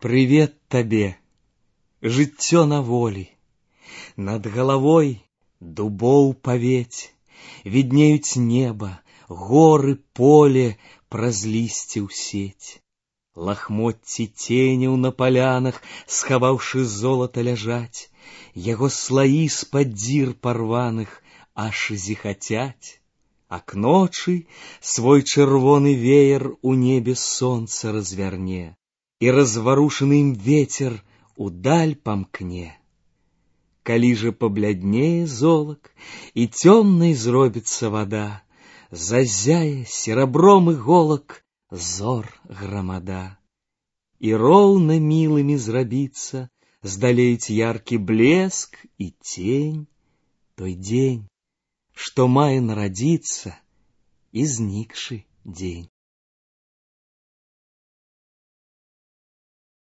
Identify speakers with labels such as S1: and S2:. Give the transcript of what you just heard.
S1: Привет табе, жыццё на волі, над галавой дубоў павець, віднеюць неба, горы, поле праз лісце ў сеть. Лахмотці ценяў на палянах, схаваўшы золата, ляжаць, яго слаі з-пад дзір парваных аж зіхацяць. А к ночы свой чырвоны веер у небе сонца разверне, и разварушаны им ветер удаль помкне. Калі же побляднее золок, и темной зробится вода, зазяе серебром иголок зор громада. И ровно милыми зробится, здалеюць яркий блеск и тень, той день, что мае народиться, изникший день.